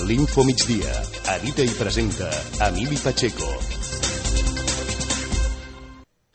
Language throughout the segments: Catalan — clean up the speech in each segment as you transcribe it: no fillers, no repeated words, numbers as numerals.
L'Info Migdia. Edita i presenta Emili Pacheco.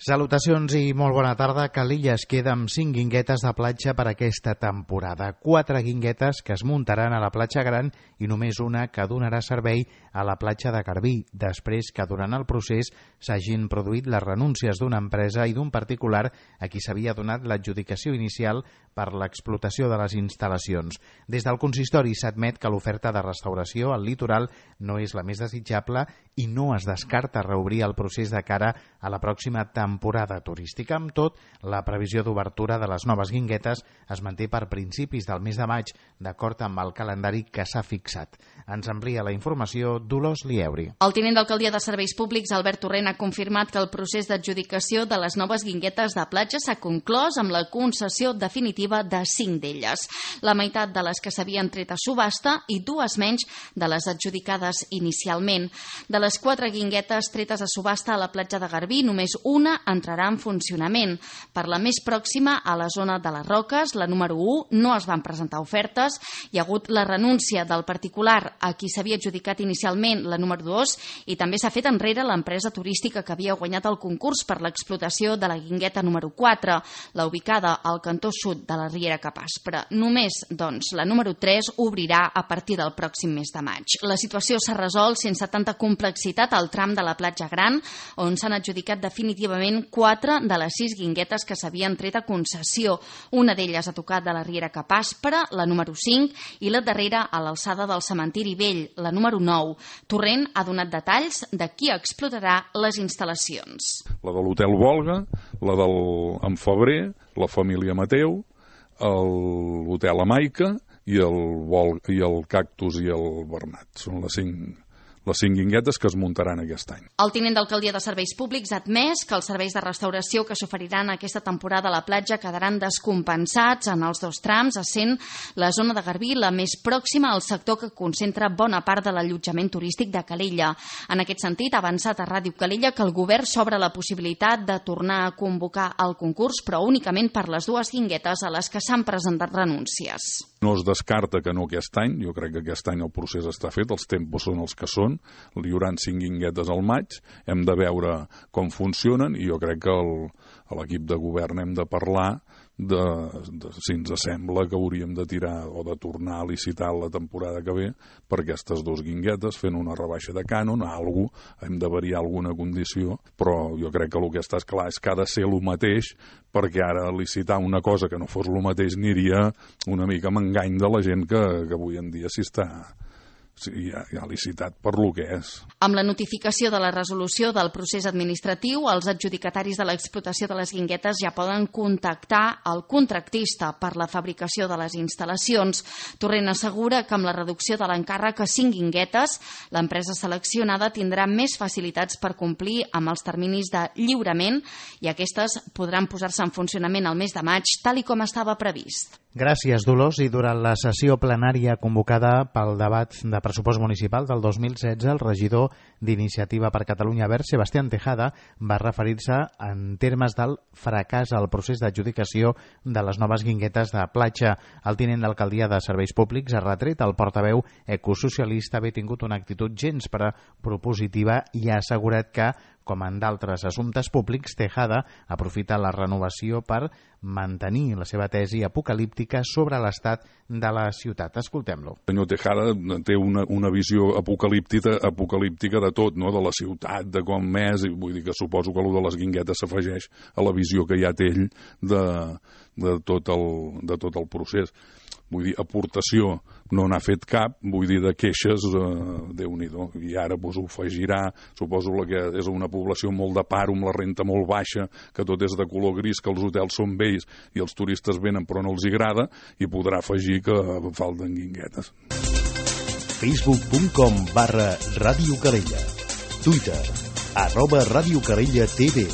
Salutacions i molt bona tarda. Calella es queda amb 5 guinguetes de platja per aquesta temporada. 4 guinguetes que es muntaran a la platja Gran i només una que donarà servei a la platja de Garbí, després que durant el procés s'hagin produït les renúncies d'una empresa i d'un particular a qui s'havia donat l'adjudicació inicial per l'explotació de les instal·lacions. Des del consistori s'admet que l'oferta de restauració al litoral no és la més desitjable i no es descarta reobrir el procés de cara a la pròxima temporada turística. Amb tot, la previsió d'obertura de les noves guinguetes es manté per principis del mes de maig, d'acord amb el calendari que s'ha fixat. Ens amplia la informació Dolors Lieuri. El tinent d'alcaldia de Serveis Públics, Albert Torrent, ha confirmat que el procés d'adjudicació de les noves guinguetes de platja s'ha conclòs amb la concessió definitiva de 5 d'elles. La meitat de les que s'havien tret a subhasta i 2 menys de les adjudicades inicialment. De les 4 guinguetes tretes a subhasta a la platja de Garbí, només una entrarà en funcionament. Per la més pròxima, a la zona de les Roques, la número 1, no es van presentar ofertes. Hi ha hagut la renúncia del particular a qui s'havia adjudicat inicialment la número 2 i també s'ha fet enrere l'empresa turística que havia guanyat el concurs per l'explotació de la guingueta número 4, la ubicada al cantó sud de la Riera Capaspra. Només, doncs, la número 3 obrirà a partir del pròxim mes de maig. La situació s'ha resolt sense tanta complexitat al tram de la platja Gran, on s'han adjudicat definitivament 4 de les 6 guinguetes que s'havien tret a concessió. Una d'elles ha tocat de la Riera Capaspra, la número 5, i la darrera a l'alçada del Cementiri Vell, la número 9. Torrent ha donat detalls de qui explotarà les instal·lacions. La de l'Hotel Volga, la del Febrer, la família Mateu, l'Hotel Amaica i el Cactus i el Bernat. Són les 5 guinguetes que es muntaran aquest any. El tinent d'alcaldia de Serveis Públics ha admès que els serveis de restauració que s'oferiran aquesta temporada a la platja quedaran descompensats en els 2 trams, essent la zona de Garbí la més pròxima al sector que concentra bona part de l'allotjament turístic de Calella. En aquest sentit, ha avançat a Ràdio Calella que el govern s'obre la possibilitat de tornar a convocar el concurs, però únicament per les 2 guinguetes a les que s'han presentat renúncies. No es descarta que no aquest any, jo crec que aquest any el procés està fet, els tempos són els que són, hi haurà 5 guinguetes al maig, hem de veure com funcionen i jo crec que a l'equip de govern hem de parlar si ens sembla que hauríem de tirar o de tornar a licitar la temporada que ve per aquestes 2 guinguetes, fent una rebaixa de cànon, hem de variar alguna condició, però jo crec que el que està clar és que ha de ser el mateix, perquè ara licitar una cosa que no fos el mateix aniria una mica amb engany de la gent que avui en dia ha licitat per lo que és. Amb la notificació de la resolució del procés administratiu, els adjudicataris de l'explotació de les guinguetes ja poden contactar el contractista per la fabricació de les instal·lacions. Torrent assegura que amb la reducció de l'encàrrec a 5 guinguetes, l'empresa seleccionada tindrà més facilitats per complir amb els terminis de lliurament i aquestes podran posar-se en funcionament al mes de maig, tal i com estava previst. Gràcies, Dolors. I durant la sessió plenària convocada pel debat de pressupost municipal del 2016, el regidor d'Iniciativa per Catalunya Verds, Sebastián Tejada, va referir-se en termes del fracàs al procés d'adjudicació de les noves guinguetes de platja. El tinent d'alcaldia de Serveis Públics ha retret al portaveu ecosocialista haver tingut una actitud gens propositiva i ha assegurat que, com en d'altres assumptes públics, Tejada aprofita la renovació per mantenir la seva tesi apocalíptica sobre l'estat de la ciutat. Escoltem-lo. El senyor Tejada té una visió apocalíptica de tot, no? De la ciutat, de com és, i vull dir que suposo que allò de les guinguetes s'afegeix a la visió que ja té ell de tot el procés. Vull dir, aportació no n'ha fet cap, vull dir, de queixes, Déu-n'hi-do. I ara ho afegirà, suposo que és una població molt de paro, amb la renta molt baixa, que tot és de color gris, que els hotels són vells i els turistes venen però no els agrada, i podrà afegir que falten guinguetes. Facebook.com/Ràdio Calella. Twitter @Ràdio Calella TV.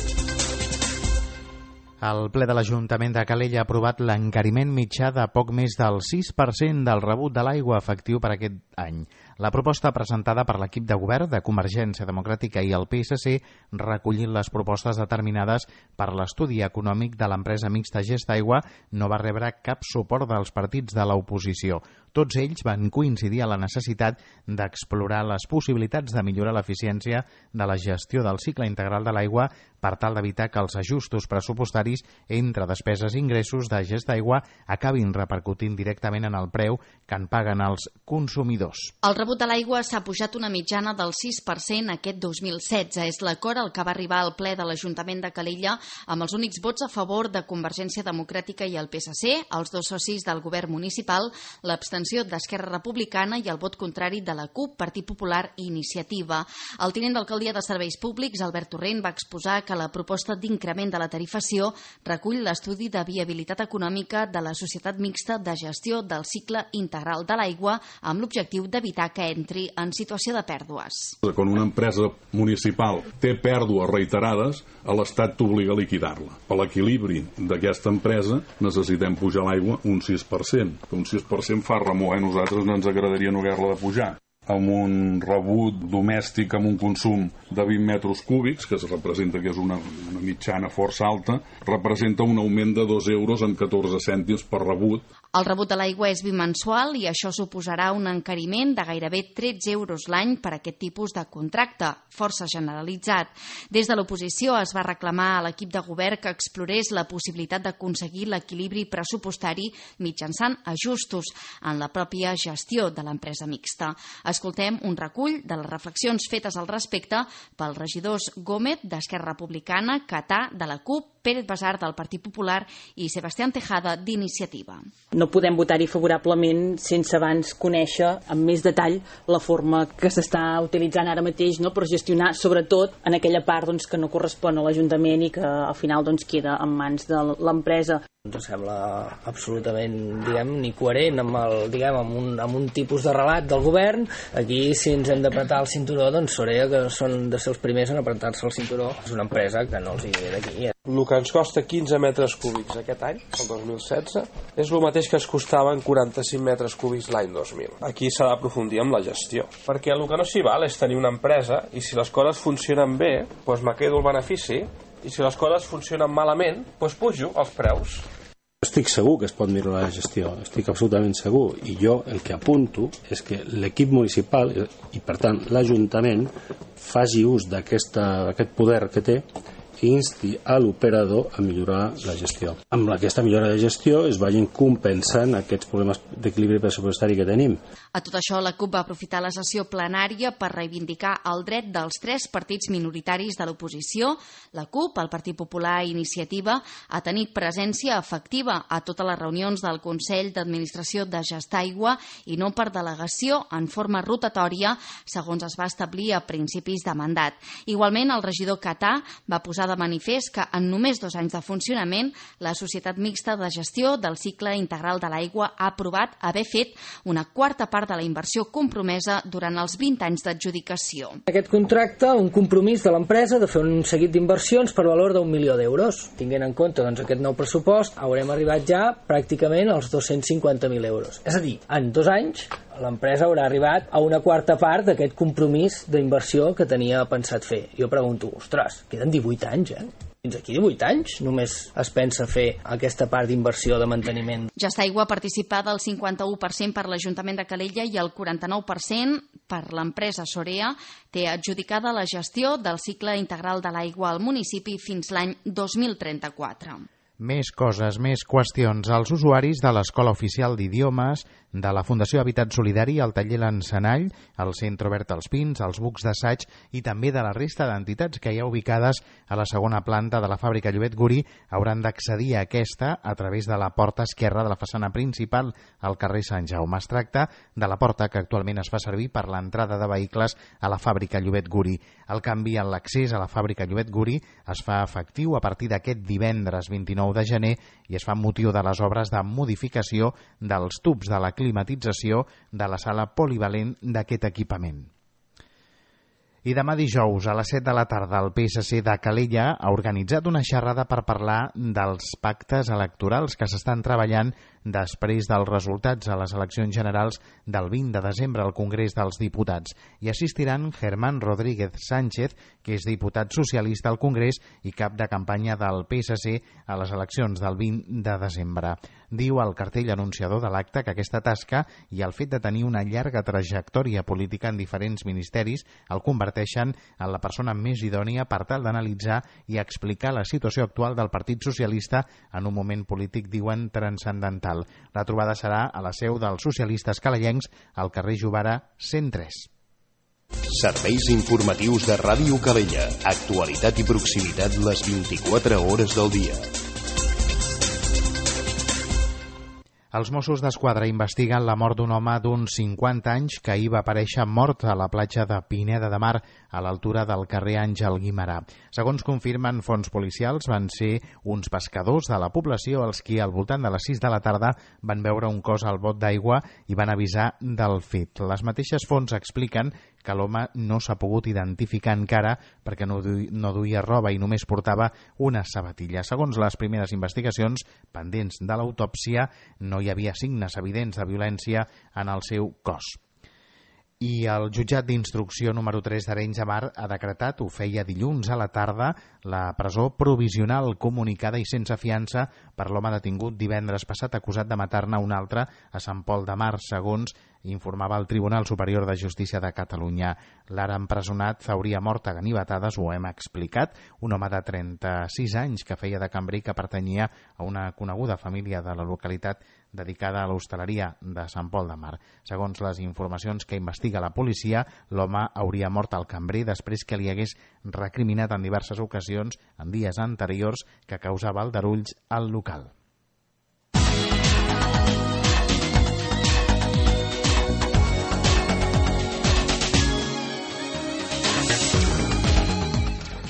El ple de l'Ajuntament de Calella ha aprovat l'encariment mitjà de poc més del 6% del rebut de l'aigua efectiu per aquest any. La proposta presentada per l'equip de govern de Convergència Democràtica i el PSC, recollint les propostes determinades per l'estudi econòmic de l'empresa mixta Gestaigua, no va rebre cap suport dels partits de l'oposició. Tots ells van coincidir a la necessitat d'explorar les possibilitats de millorar l'eficiència de la gestió del cicle integral de l'aigua per tal d'evitar que els ajustos pressupostaris entre despeses i ingressos de Gestaigua acabin repercutint directament en el preu que en paguen els consumidors. El rebut de l'aigua s'ha pujat una mitjana del 6% aquest 2016. És l'acord al que va arribar al ple de l'Ajuntament de Calella amb els únics vots a favor de Convergència Democràtica i el PSC, els dos socis del govern municipal, l'abstenció d'Esquerra Republicana i el vot contrari de la CUP, Partit Popular i Iniciativa. El tinent d'alcaldia de Serveis Públics, Albert Torrent, va exposar que la proposta d'increment de la tarifació recull l'estudi de viabilitat econòmica de la societat mixta de gestió del cicle integral de l'aigua amb l'objectiu d'evitar que entri en situació de pèrdues. Quan una empresa municipal té pèrdues reiterades, l'Estat t'obliga a liquidar-la. Per l'equilibri d'aquesta empresa necessitem pujar l'aigua un 6%. Un 6% fa remor, a nosaltres no ens agradaria no haver-la de pujar. Amb un rebut domèstic amb un consum de 20 metres cúbics, que es representa que és una mitjana força alta, representa un augment de 2 euros en 14 cèntims per rebut. El rebut de l'aigua és bimensual i això suposarà un encariment de gairebé 13 euros l'any per aquest tipus de contracte, força generalitzat. Des de l'oposició es va reclamar a l'equip de govern que explorés la possibilitat d'aconseguir l'equilibri pressupostari mitjançant ajustos en la pròpia gestió de l'empresa mixta. Escoltem un recull de les reflexions fetes al respecte pels regidors Gómez, d'Esquerra Republicana, Catà, de la CUP, Pérez Basar, del Partit Popular i Sebastián Tejada, d'Iniciativa. No podem votar-hi favorablement sense abans conèixer amb més detall la forma que s'està utilitzant ara mateix, no, per gestionar, sobretot en aquella part que no correspon a l'Ajuntament i que al final queda en mans de l'empresa. Ens sembla absolutament, ni coherent amb un tipus de relat del govern. Aquí, si ens hem d'apretar el cinturó, Sorea, que són de ser els primers en apretar-se el cinturó, és una empresa que no els hi ve d'aquí. El que ens costa 15 metres cúbics aquest any, el 2016, és el mateix que es costava en 45 metres cúbics l'any 2000. Aquí s'ha d'aprofundir amb la gestió, perquè el que no s'hi val és tenir una empresa i si les coses funcionen bé, me quedo el benefici, i si les coses funcionen malament, pujo els preus. Estic segur que es pot millorar la gestió, estic absolutament segur, i jo el que apunto és que l'equip municipal i per tant l'Ajuntament faci ús d'aquest poder que té i insti a l'operador a millorar la gestió. Amb aquesta millora de gestió es vagin compensant aquests problemes d'equilibri pressupostari que tenim. A tot això, la CUP va aprofitar la sessió plenària per reivindicar el dret dels 3 partits minoritaris de l'oposició, la CUP, el Partit Popular i Iniciativa, a tenir presència efectiva a totes les reunions del Consell d'Administració de Gestaigua i no per delegació en forma rotatòria, segons es va establir a principis de mandat. Igualment, el regidor Catà va posar de manifest que en només 2 anys de funcionament la Societat Mixta de Gestió del Cicle Integral de l'Aigua ha aprovat haver fet una quarta part de la inversió compromesa durant els 20 anys d'adjudicació. Aquest contracte, un compromís de l'empresa de fer un seguit d'inversions per valor d'1 milió d'euros. Tinguent en compte aquest nou pressupost, haurem arribat ja pràcticament als 250.000 euros. És a dir, en 2 anys l'empresa haurà arribat a una quarta part d'aquest compromís d'inversió que tenia pensat fer. Jo pregunto, ostres, queden 18 anys, Fins aquí 18 anys només es pensa fer aquesta part d'inversió de manteniment. Gestaigua participa del 51% per l'Ajuntament de Calella i el 49% per l'empresa Sorea té adjudicada la gestió del cicle integral de l'aigua al municipi fins l'any 2034. Més coses, més qüestions. Els usuaris de l'Escola Oficial d'Idiomes, de la Fundació Habitat Solidari, el taller L'Encenall, el Centre Obert als Pins, els bucs d'assaig i també de la resta d'entitats que hi ha ubicades a la segona planta de la fàbrica Llobet Guri hauran d'accedir a aquesta a través de la porta esquerra de la façana principal al carrer Sant Jaume. Es tracta de la porta que actualment es fa servir per l'entrada de vehicles a la fàbrica Llobet Guri. El canvi en l'accés a la fàbrica Llobet Guri es fa efectiu a partir d'aquest divendres 29 de gener i es fa amb motiu de les obres de modificació dels tubs de la climatització de la sala polivalent d'aquest equipament. I demà dijous a les 7 de la tarda el PSC de Calella ha organitzat una xerrada per parlar dels pactes electorals que s'estan treballant després dels resultats a les eleccions generals del 20 de desembre al Congrés dels Diputats. Hi assistiran Germán Rodríguez Sánchez, que és diputat socialista al Congrés i cap de campanya del PSC a les eleccions del 20 de desembre. Diu el cartell anunciador de l'acte que aquesta tasca i el fet de tenir una llarga trajectòria política en diferents ministeris el converteixen en la persona més idònia per tal d'analitzar i explicar la situació actual del Partit Socialista en un moment polític, diuen, transcendental. La trobada serà a la seu dels socialistes calellencs al carrer Jovara 103. Serveis informatius de Ràdio Calella. Actualitat i proximitat les 24 hores del dia. Els Mossos d'Esquadra investiguen la mort d'un home d'uns 50 anys que ahir va aparèixer mort a la platja de Pineda de Mar, a l'altura del carrer Àngel Guimerà. Segons confirmen fonts policials, van ser uns pescadors de la població els qui al voltant de les 6 de la tarda van veure un cos al bot d'aigua i van avisar del fet. Les mateixes fonts expliquen que l'home no s'ha pogut identificar encara perquè no duia roba i només portava una sabatilla. Segons les primeres investigacions pendents de l'autòpsia, no hi havia signes evidents de violència en el seu cos. I el jutjat d'instrucció número 3 d'Arenys de Mar ha decretat, ho feia dilluns a la tarda, la presó provisional comunicada i sense fiança per l'home detingut divendres passat acusat de matar-ne un altre a Sant Pol de Mar, segons informava el Tribunal Superior de Justícia de Catalunya. L'ara empresonat hauria mort a ganivetades, ho hem explicat, un home de 36 anys que feia de cambrer que pertanyia a una coneguda família de la localitat dedicada a l'hostaleria de Sant Pol de Mar. Segons les informacions que investiga la policia, l'home hauria mort al cambrer després que li hagués recriminat en diverses ocasions en dies anteriors que causava aldarulls al local.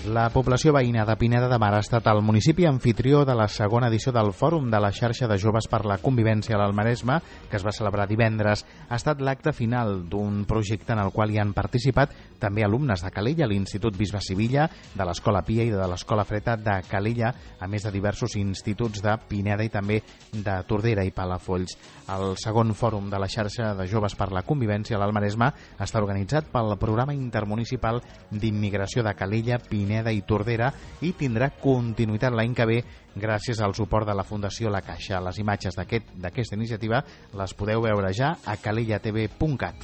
La població veïna de Pineda de Mar ha estat el municipi anfitrió de la segona edició del Fòrum de la xarxa de joves per la convivència a l'Almaresme, que es va celebrar divendres. Ha estat l'acte final d'un projecte en el qual hi han participat també alumnes de Calella, l'Institut Bisbe Sivilla, de l'Escola Pia i de l'Escola Freta de Calella, a més de diversos instituts de Pineda i també de Tordera i Palafolls. El segon Fòrum de la xarxa de joves per la convivència a l'Almaresme està organitzat pel Programa Intermunicipal d'Immigració de Calella, Pineda i Tordera i tindrà continuïtat l'any que ve gràcies al suport de la Fundació La Caixa. Les imatges d'aquesta iniciativa les podeu veure ja a calellatv.cat.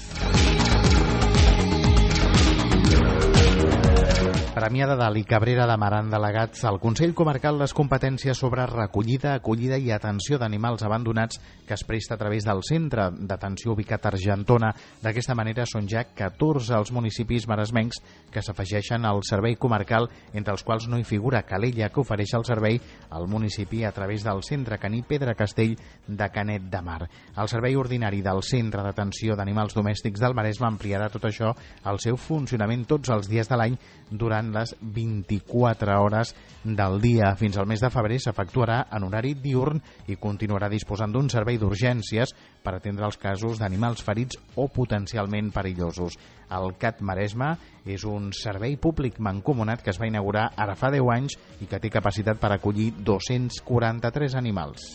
Premià de Dalt i Cabrera de Mar han delegat al Consell Comarcal les competències sobre recollida, acollida i atenció d'animals abandonats que es presta a través del centre d'atenció ubicat a Argentona. D'aquesta manera són ja 14 els municipis maresmencs que s'afegeixen al servei comarcal, entre els quals no hi figura Calella, que ofereix el servei al municipi a través del centre caní Pedra Castell de Canet de Mar. El servei ordinari del centre d'atenció d'animals domèstics del Maresme ampliarà tot això al seu funcionament tots els dies de l'any durant les 24 hores del dia. Fins al mes de febrer s'efectuarà en horari diürn i continuarà disposant d'un servei d'urgències per atendre els casos d'animals ferits o potencialment perillosos. El CAT Maresme és un servei públic mancomunat que es va inaugurar ara fa 10 anys i que té capacitat per acollir 243 animals.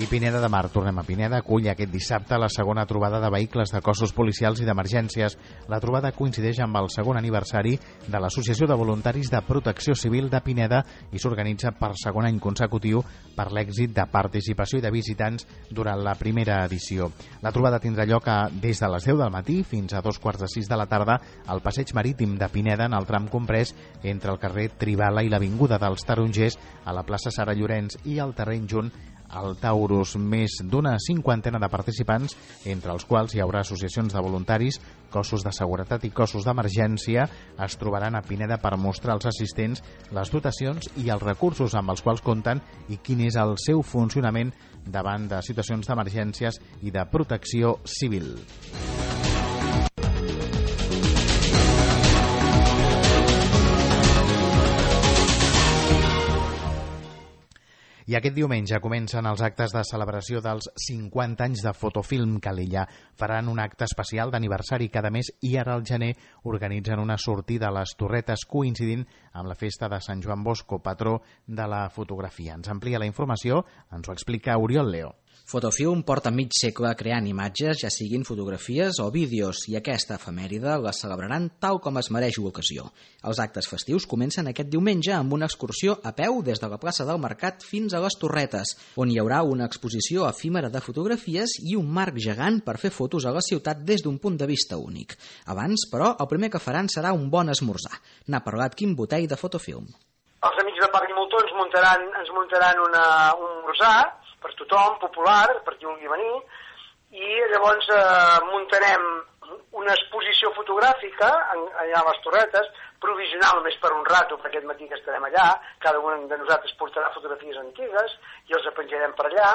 I Pineda de Mar, tornem a Pineda, acull aquest dissabte la segona trobada de vehicles de cossos policials i d'emergències. La trobada coincideix amb el segon aniversari de l'Associació de Voluntaris de Protecció Civil de Pineda i s'organitza per segon any consecutiu per l'èxit de participació i de visitants durant la primera edició. La trobada tindrà lloc des de les 10 del matí fins a 2:45 de la tarda al passeig marítim de Pineda en el tram comprès entre el carrer Tribala i l'Avinguda dels Tarongers a la plaça Sara Llorenç i el terreny junt al Taurus. Més d'una cinquantena de participants, entre els quals hi haurà associacions de voluntaris, cossos de seguretat i cossos d'emergència, es trobaran a Pineda per mostrar als assistents les dotacions i els recursos amb els quals compten i quin és el seu funcionament davant de situacions d'emergències i de protecció civil. I aquest diumenge comencen els actes de celebració dels 50 anys de Fotofilm Calella. Faran un acte especial d'aniversari cada mes i ara al gener organitzen una sortida a les Torretes coincidint amb la festa de Sant Joan Bosco, patró de la fotografia. Ens amplia la informació, ens ho explica Oriol Leo. Fotofilm porta mig segle creant imatges, ja siguin fotografies o vídeos, i aquesta efemèride la celebraran tal com es mereix l'ocasió. Els actes festius comencen aquest diumenge amb una excursió a peu des de la plaça del Mercat fins a les Torretes, on hi haurà una exposició efímera de fotografies i un marc gegant per fer fotos a la ciutat des d'un punt de vista únic. Abans, però, el primer que faran serà un bon esmorzar. N'ha parlat Quim Botell de Fotofilm. Els amics de Parc i Moltó ens muntaran un esmorzar per tothom, popular, per qui vulgui venir, i llavors muntarem una exposició fotogràfica allà a les Torretes, provisional només per un rato, perquè aquest matí que estarem allà, cada un de nosaltres portarà fotografies antigues i els penjarem per allà,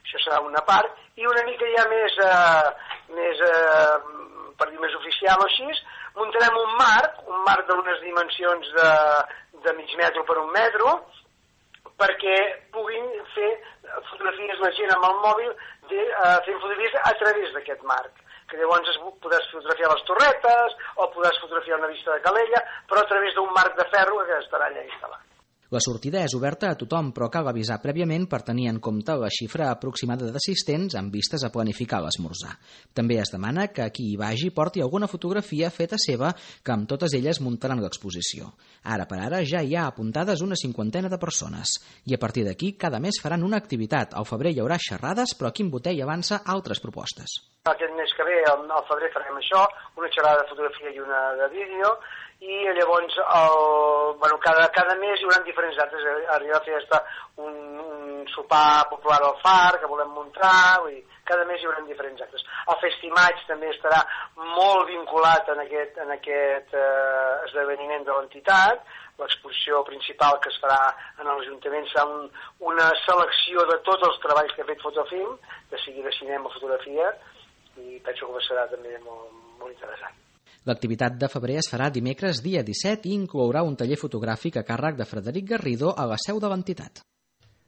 això serà una part, i una mica ja per dir més oficial o així, muntarem un marc d'unes dimensions de mig metro per un metro, perquè puguin fer fotografies la gent amb el mòbil fent fotografies a través d'aquest marc, que llavors podràs fotografiar les Torretes o podràs fotografiar una vista de Calella, però a través d'un marc de ferro que estarà allà instal·lat. La sortida és oberta a tothom, però cal avisar prèviament per tenir en compte la xifra aproximada d'assistents amb vistes a planificar l'esmorzar. També es demana que qui hi vagi porti alguna fotografia feta seva, que amb totes elles muntaran l'exposició. Ara per ara ja hi ha apuntades una 50 de persones. I a partir d'aquí cada mes faran una activitat. Al febrer hi haurà xerrades, però Quim Botell avança altres propostes. Aquest mes que ve, al febrer, farem això, una xerrada de fotografia i una de vídeo, i llavors cada mes hi haurà diferents actes. Arriba a fer un sopar popular al far que volem muntar, vull dir, cada mes hi haurà diferents actes. El Festimaig també estarà molt vinculat en aquest esdeveniment de l'entitat. L'exposició principal que es farà en l'Ajuntament serà una selecció de tots els treballs que ha fet Fotofilm, de sigui de cinema o fotografia, i penso que serà també molt interessant. L'activitat de febrer es farà dimecres dia 17 i inclourà un taller fotogràfic a càrrec de Frederic Garrido a la seu de l'entitat.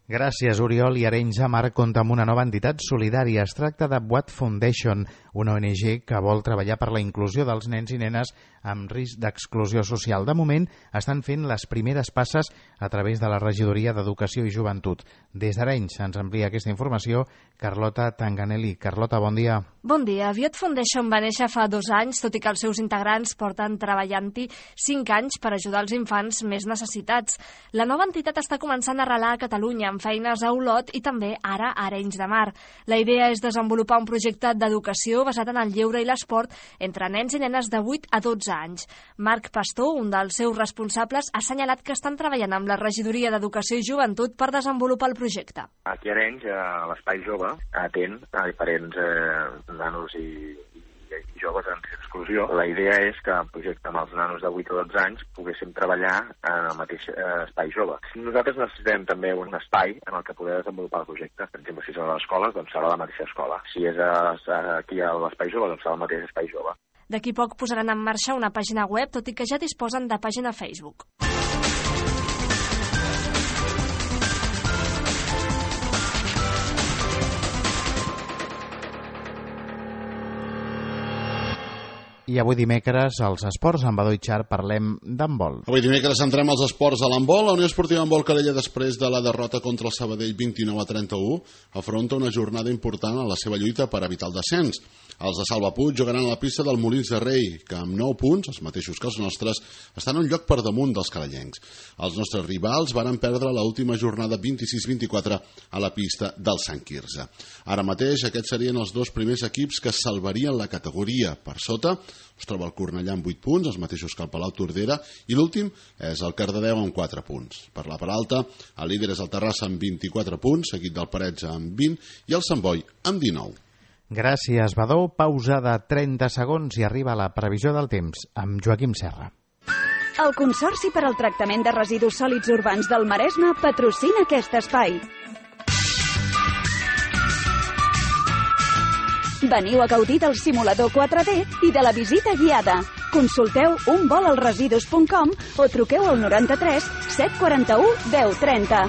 Gràcies, Oriol. I Arenys de Mar compta amb una nova entitat solidària. Es tracta de What Foundation, una ONG que vol treballar per la inclusió dels nens i nenes amb risc d'exclusió social. De moment, estan fent les primeres passes a través de la Regidoria d'Educació i Joventut. Des d'Arenys ens envia aquesta informació Carlota Tanganelli. Carlota, bon dia. Bon dia. What Foundation va néixer fa 2 anys, tot i que els seus integrants porten treballant-hi 5 anys per ajudar els infants més necessitats. La nova entitat està començant a arrelar a Catalunya, amb feines a Olot i també ara a Arenys de Mar. La idea és desenvolupar un projecte d'educació basat en el lleure i l'esport entre nens i nenes de 8 a 12 anys. Marc Pastor, un dels seus responsables, ha assenyalat que estan treballant amb la Regidoria d'Educació i Joventut per desenvolupar el projecte. Aquí a Arenys, a l'Espai Jove, atén a diferents nanos i joves en exclusió. La idea és que en projecte amb els nanos de 8 o 12 anys poguéssim treballar en el mateix espai jove. Nosaltres necessitem també un espai en el que poder desenvolupar el projecte. Per exemple, si és a l'escola, doncs serà la mateixa escola. Si és aquí a l'espai jove, doncs serà el mateix espai jove. D'aquí poc posaran en marxa una pàgina web, tot i que ja disposen de pàgina Facebook. I avui dimecres, als esports, amb Badó Itxar, parlem d'handbol. Avui dimecres entrem als esports a l'handbol. La Unió Esportiva Handbol Calella, després de la derrota contra el Sabadell 29-31, afronta una jornada important en la seva lluita per evitar el descens. Els de Salva Puig jugaran a la pista del Molins de Rei, que amb 9 punts, els mateixos que els nostres, estan un lloc per damunt dels calellencs. Els nostres rivals varen perdre l'última jornada 26-24 a la pista del Sant Quirze. Ara mateix aquests serien els 2 primers equips que salvarien la categoria. Per sota es troba el Cornellà amb 8 punts, els mateixos que el Palau Tordera, i l'últim és el Cardedeu amb 4 punts. Per la part alta, el líder és el Terrassa amb 24 punts, seguit del Parets amb 20 i el Sant Boi amb 19. Gràcies, Badó. Pausa de 30 segons i arriba la previsió del temps amb Joaquim Serra. El Consorci per al Tractament de Residus Sòlids Urbans del Maresme patrocina aquest espai. Veniu a gaudir del simulador 4D i de la visita guiada. Consulteu unvolalresidus.com o truqueu al 93 741 1030.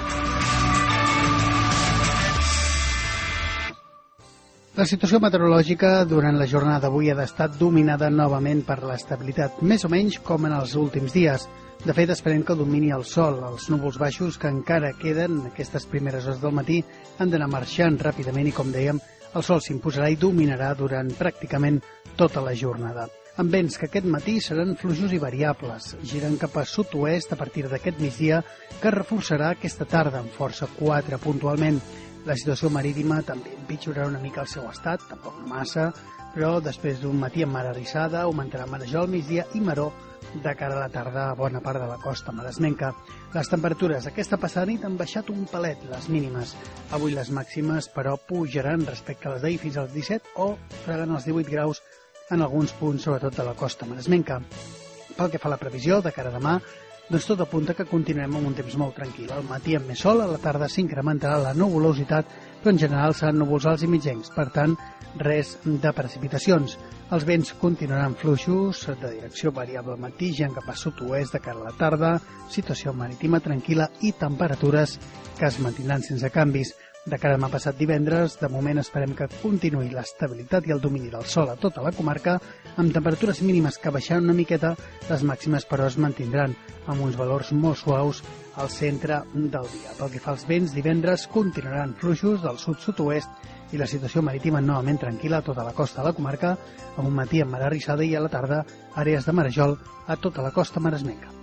La situació meteorològica durant la jornada d'avui ha estat dominada novament per l'estabilitat, més o menys com en els últims dies. De fet, esperem que domini el sol. Els núvols baixos que encara queden aquestes primeres hores del matí han d'anar marxant ràpidament i, com dèiem, el sol s'imposarà i dominarà durant pràcticament tota la jornada. Amb vents que aquest matí seran fluixos i variables, giren cap a sud-oest a partir d'aquest migdia, que reforçarà aquesta tarda amb força 4 puntualment. La situació marítima també empitjorarà una mica el seu estat, tampoc massa, però després d'un matí amb mar arrissada augmentarà marejol al migdia i maró de cara a la tarda a bona part de la costa maresmenca. Les temperatures aquesta passada nit han baixat un palet, les mínimes. Avui les màximes, però, pujaran respecte a les d'ahir fins als 17 o fregant els 18 graus en alguns punts, sobretot de la costa maresmenca. Pel que fa a la previsió de cara a demà, doncs tot apunta que continuem amb un temps molt tranquil. Al matí amb més sol, a la tarda s'incrementarà la nuvolositat, però en general seran núvols alts i mitjans, per tant, res de precipitacions. Els vents continuaran fluixos, de direcció variable al matí, ja cap a sud-oest de cara a la tarda, situació marítima tranquil·la i temperatures que es mantindran sense canvis. De cara a demà passat divendres, de moment esperem que continuï l'estabilitat i el domini del sol a tota la comarca, amb temperatures mínimes que baixaran una miqueta, les màximes però es mantindran amb uns valors molt suaus al centre del dia. Pel que fa als vents, divendres continuaran fluixos del sud-sud-oest i la situació marítima novament tranquil·la a tota la costa de la comarca, amb un matí amb mar arrissada i a la tarda àrees de marejol a tota la costa maresmenca.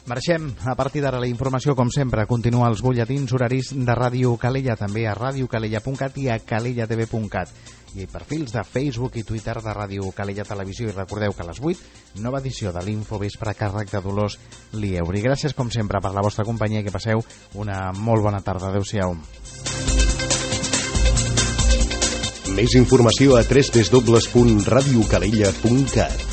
Marxem. A partir d'ara la informació, com sempre, continua als butlletins horaris de Ràdio Calella, també a radiocalella.cat i a calellatv.cat. I perfils de Facebook i Twitter de Ràdio Calella Televisió. I recordeu que a les 8, nova edició de l'Infovespre a càrrec de Dolors Lieuri. Gràcies, com sempre, per la vostra companyia i que passeu una molt bona tarda. Adéu-siau. Més informació a www.radiocalella.cat.